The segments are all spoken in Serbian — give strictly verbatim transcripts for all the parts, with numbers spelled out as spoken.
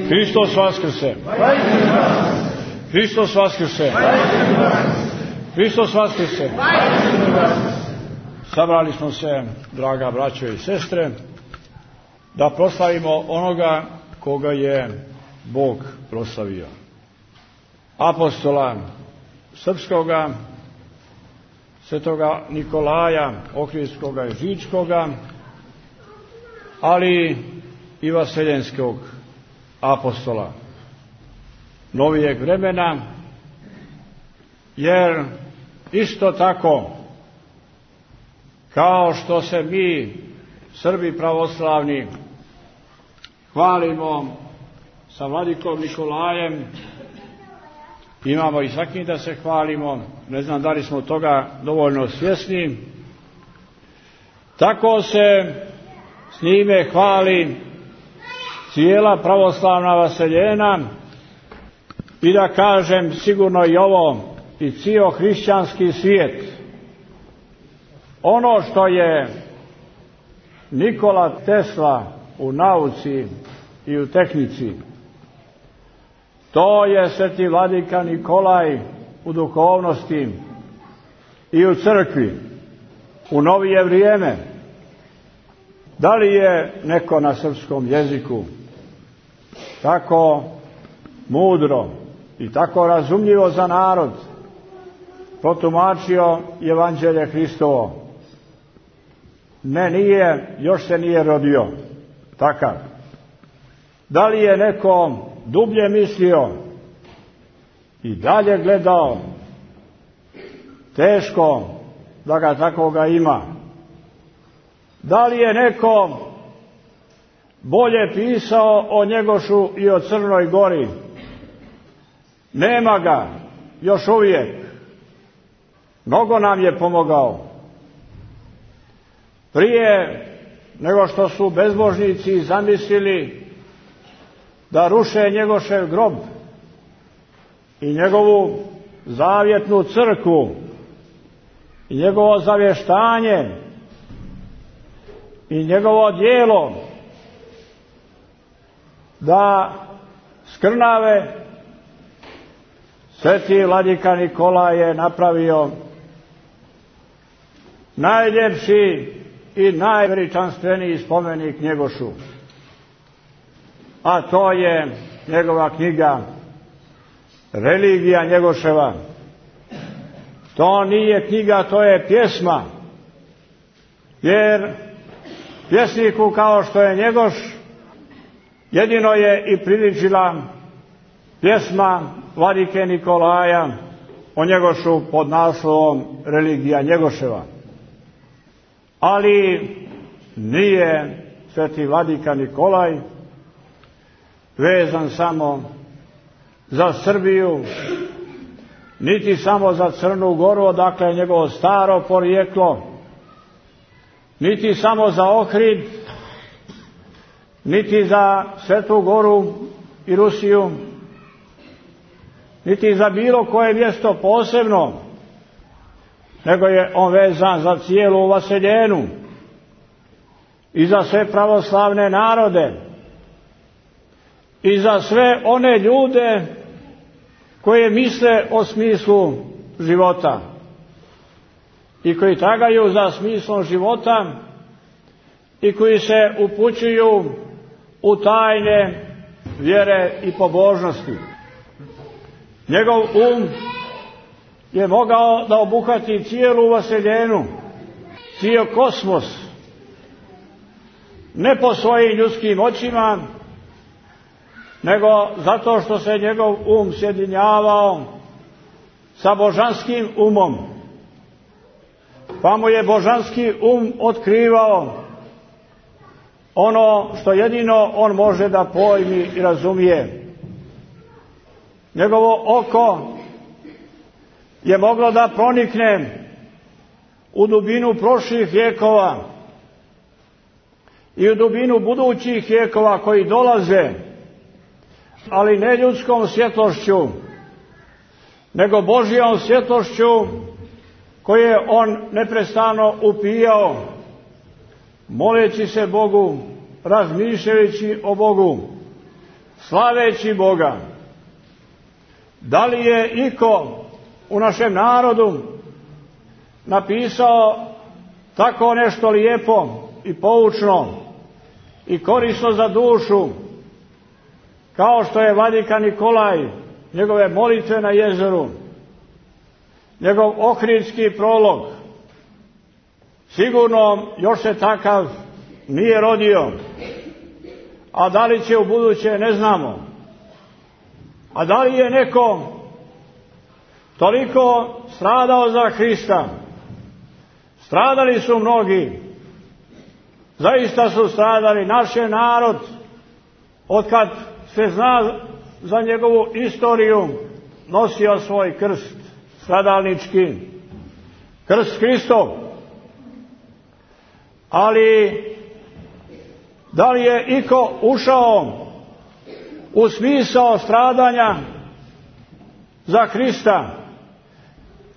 Hristos Vaskrse! Hristos Vaskrse! Hristos Vaskrse! Sabrali smo se, draga braćo i sestre, da proslavimo onoga koga je Bog proslavio. Apostola srpskoga, svetoga Nikolaja Ohridskoga i Žičkoga, ali i vaseljenskog apostola novijeg vremena, jer isto tako kao što se mi, Srbi pravoslavni, hvalimo sa vladikom Nikolajem, imamo i sa kim da se hvalimo, ne znam da li smo toga dovoljno svjesni, tako se s njime hvali cijela pravoslavna vaseljena i da kažem sigurno i ovo, i cijel hrišćanski svijet. Ono što je Nikola Tesla u nauci i u tehnici, to je sveti vladika Nikolaj u duhovnosti i u crkvi u novije vrijeme. Da li je neko na srpskom jeziku tako mudro i tako razumljivo za narod protumačio Evanđelje Hristovo? Ne, nije, još se nije rodio takav. Da li je neko dublje mislio i dalje gledao? Teško da ga takoga ima. Da li je neko bolje pisao o Njegošu i o Crnoj Gori? Nema ga još uvijek. Mnogo nam je pomogao. Prije nego što su bezbožnici zamislili da ruše Njegošev grob i njegovu zavjetnu crkvu i njegovo zavještanje i njegovo djelo, da skrnave, sveti vladika Nikolaj je napravio najljepši i najveličanstveniji spomenik Njegošu, a to je njegova knjiga Religija Njegoševa. To nije knjiga, to je pjesma, jer pjesniku kao što je Njegoš jedino je i priličila pjesma vladike Nikolaja o Njegošu pod naslovom Religija Njegoševa. Ali nije sveti vladika Nikolaj vezan samo za Srbiju, niti samo za Crnu Goru, odakle je njegovo staro porijeklo, niti samo za Ohrid, niti za Svetu Goru i Rusiju, niti za bilo koje mjesto posebno, nego je on vezan za cijelu vaseljenu i za sve pravoslavne narode i za sve one ljude koje misle o smislu života i koji tragaju za smislom života i koji se upućuju u tajne vjere i pobožnosti. Njegov um je mogao da obuhvati cijelu vaseljenu, cijel kosmos, ne po svojim ljudskim očima, nego zato što se njegov um sjedinjavao sa božanskim umom, pa mu je božanski um otkrivao ono što jedino on može da pojmi i razumije. Njegovo oko je moglo da pronikne u dubinu prošlih vjekova i u dubinu budućih vjekova koji dolaze, ali ne ljudskom svjetlošću, nego Božjom svjetlošću koje je on neprestano upijao, moleći se Bogu, razmišljajući o Bogu, slaveći Boga. Da li je iko u našem narodu napisao tako nešto lijepo i poučno i korisno za dušu, kao što je vladika Nikolaj, njegove molitve na jezeru, njegov ohridski prolog? Sigurno još se takav nije rodio, a da li će u buduće ne znamo. A da li je neko toliko stradao za Hrista? Stradali su mnogi, zaista su stradali. Naš je narod, otkad se zna za njegovu istoriju, nosio svoj krst stradalnički, krst Hristov. Ali da li je iko ušao u smisao stradanja za Hrista?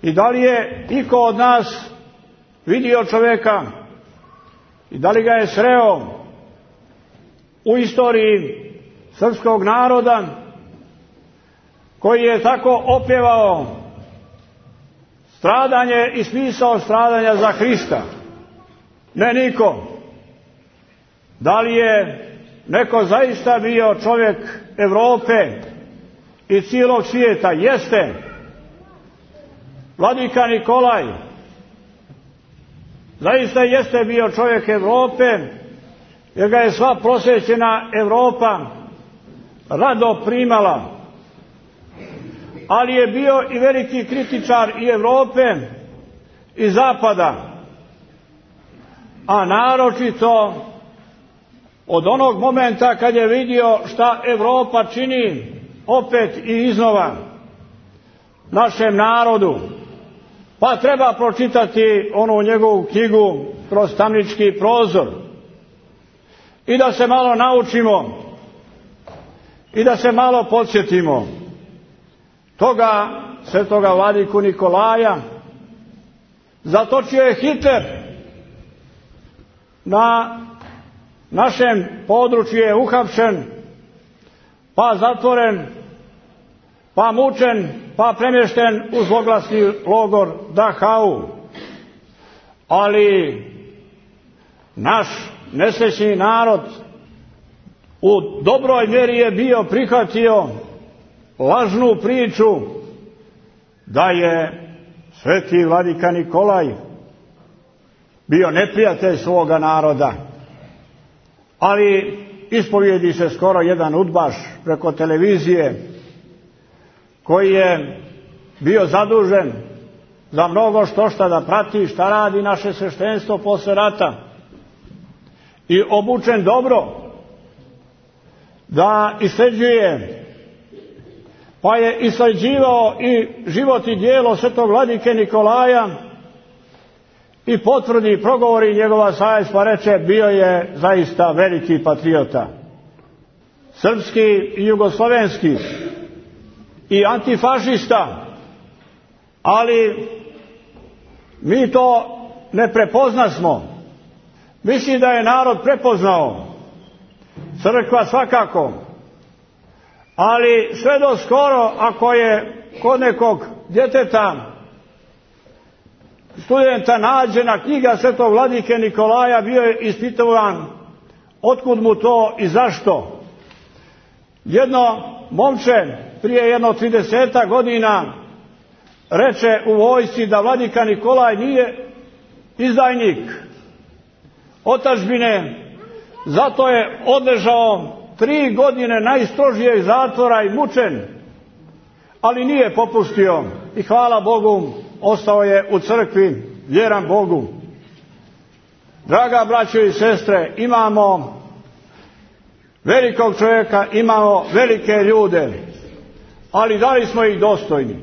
I da li je iko od nas vidio čovjeka i da li ga je sreo u istoriji srpskog naroda koji je tako opjevao stradanje i smisao stradanja za Hrista? Ne niko. Da li je neko zaista bio čovjek Europe i cijelog svijeta? Jeste. Vladika Nikolaj zaista jeste bio čovjek Europe, jer ga je sva prosvećena Europa rado primala. Ali je bio i veliki kritičar i Europe i Zapada, a naročito od onog momenta kad je vidio šta Europa čini opet i iznova našem narodu. Pa treba pročitati onu njegovu knjigu Kroz tamnički prozor i da se malo naučimo i da se malo podsjetimo toga svetoga vladiku Nikolaja. Zatočio je Hitler, na našem području je uhapšen, pa zatvoren, pa mučen, pa premješten u zloglasni logor Dachau. Ali naš nesrećni narod u dobroj mjeri je bio prihvatio lažnu priču da je sveti vladika Nikolaj bio neprijatelj svoga naroda. Ali ispovijedi se skoro jedan udbaš preko televizije koji je bio zadužen za mnogo što šta da prati šta radi naše sveštenstvo posle rata i obučen dobro da isleđuje, pa je isleđivao i život i djelo svetog vladike Nikolaja i potvrdi progovori njegova savjest, pa reče bio je zaista veliki patriota, srpski i jugoslovenski i antifašista. Ali mi to ne prepoznasmo. Mislim da je narod prepoznao, crkva svakako, ali sve do skoro, ako je kod nekog djeteta, studenta nađena knjiga svetog vladike Nikolaja, bio je ispitovan otkud mu to i zašto. Jedno momče prije jedno tridesetak godina reče u vojsci da vladika Nikolaj nije izdajnik otadžbine, zato je odležao tri godine najstrožijeg zatvora i mučen, ali nije popustio i hvala Bogu ostao je u crkvi vjeran Bogu. Draga braćo i sestre, imamo velikog čovjeka, imamo velike ljude, ali da li smo ih dostojni?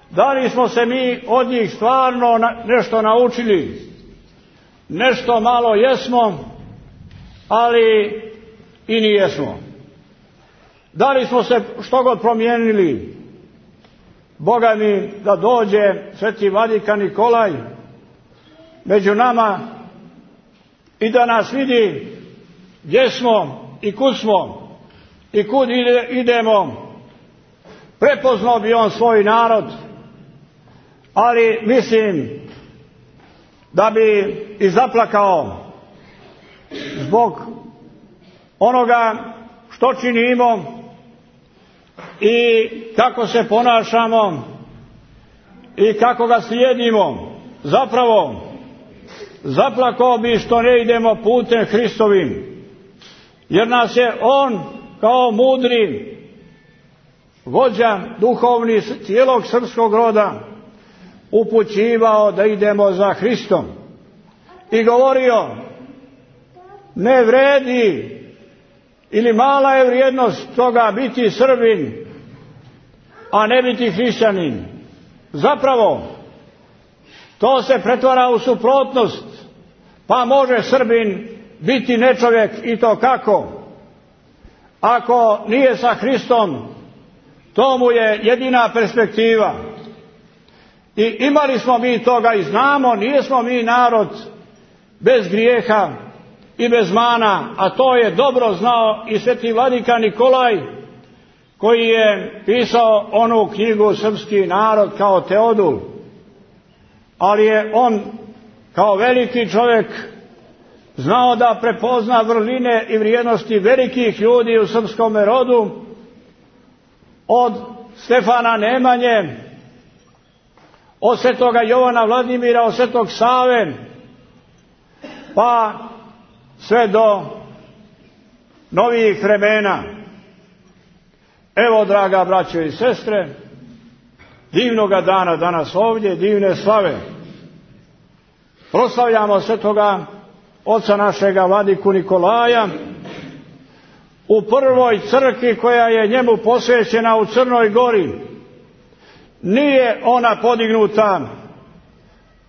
Da li smo se mi od njih stvarno nešto naučili? Nešto malo jesmo, ali i nijesmo. Da li smo se što god promijenili? Boga mi da dođe sveti vladika Nikolaj među nama i da nas vidi gdje smo i kud smo i kud ide, idemo, prepoznao bi on svoj narod, ali mislim da bi i zaplakao zbog onoga što činimo i kako se ponašamo i kako ga slijedimo. Zapravo, zaplakao bi što ne idemo putem Hristovim, jer nas je on kao mudri vođa duhovni cijelog srpskog roda upućivao da idemo za Hristom i govorio: ne vredi ili mala je vrijednost toga biti Srbin, a ne biti hrišćanin. Zapravo, to se pretvara u suprotnost, pa može Srbin biti nečovjek i to kako? Ako nije sa Hristom, to mu je jedina perspektiva. I imali smo mi toga i znamo, nijesmo mi narod bez grijeha i bez mana, a to je dobro znao i sveti vladika Nikolaj, koji je pisao onu knjigu Srpski narod kao Teodul. Ali je on kao veliki čovjek znao da prepozna vrline i vrijednosti velikih ljudi u srpskom rodu, od Stefana Nemanje, od svetoga Jovana Vladimira, od svetog Save, pa sve do novijih vremena. Evo, draga braćo i sestre, divnoga dana danas ovdje, divne slave. Proslavljamo svetoga oca našega vladiku Nikolaja u prvoj crkvi koja je njemu posvećena u Crnoj Gori. Nije ona podignuta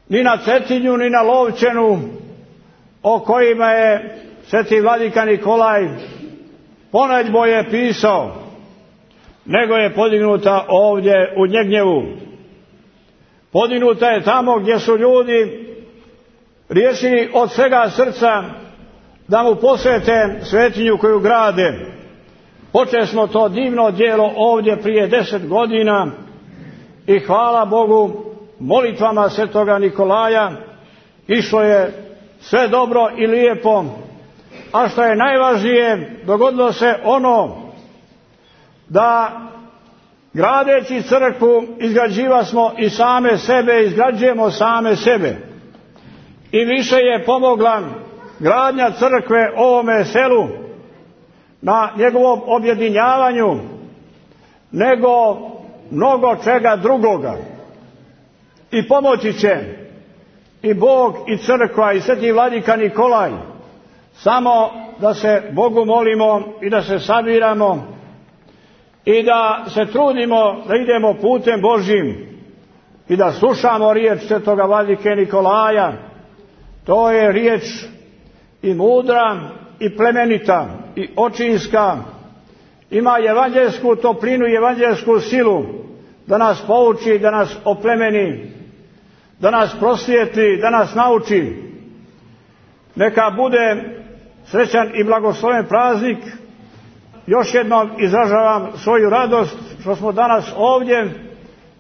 ni na Cetinju, ni na Lovćenu, o kojima je sveti vladika Nikolaj ponedjelje pisao, nego je podignuta ovdje u Njegnjevu. Podignuta je tamo gdje su ljudi riješili od svega srca da mu posvete svetinju koju grade. Počeli smo to divno djelo ovdje prije deset godina i hvala Bogu, molitvama svetoga Nikolaja išlo je sve dobro i lijepo, a što je najvažnije, dogodilo se ono da gradeći crkvu izgrađiva smo i same sebe, izgrađujemo same sebe. I više je pomogla gradnja crkve ovome selu na njegovom objedinjavanju nego mnogo čega drugoga. I pomoći će i Bog i crkva i sveti vladika Nikolaj, samo da se Bogu molimo i da se sabiramo i da se trudimo da idemo putem Božjim i da slušamo riječ svetoga vladike Nikolaja. To je riječ i mudra i plemenita i očinska, ima evanđelsku toplinu i evanđelsku silu da nas pouči, da nas oplemeni, da nas prosvijetli, da nas nauči. Neka bude srećan i blagosloven praznik. Još jednom izražavam svoju radost što smo danas ovdje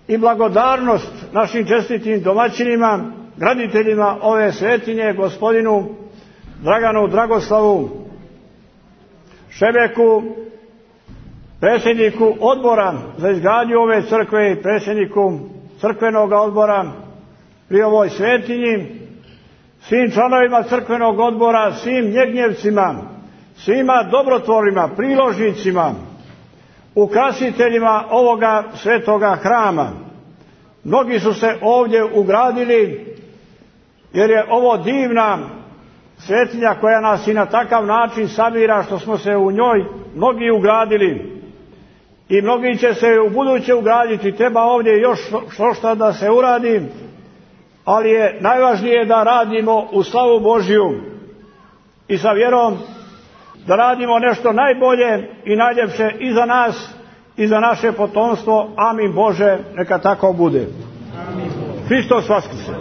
i blagodarnost našim čestitim domaćinima, graditeljima ove svetinje, gospodinu Draganu Dragoslavu Šebeku, predsjedniku odbora za izgradnju ove crkve i predsjedniku crkvenog odbora pri ovoj svetinji, svim članovima crkvenog odbora, svim njegnjevcima, svima dobrotvorima, priložnicima, ukrasiteljima ovoga svetoga hrama. Mnogi su se ovdje ugradili, jer je ovo divna svetinja koja nas i na takav način sabira što smo se u njoj mnogi ugradili i mnogi će se u buduće ugraditi. Treba ovdje još što što da se uradi, ali je najvažnije da radimo u slavu Božju i sa vjerom da radimo nešto najbolje i najljepše i za nas i za naše potomstvo. Amin Bože, neka tako bude. Hristos Vaskrse.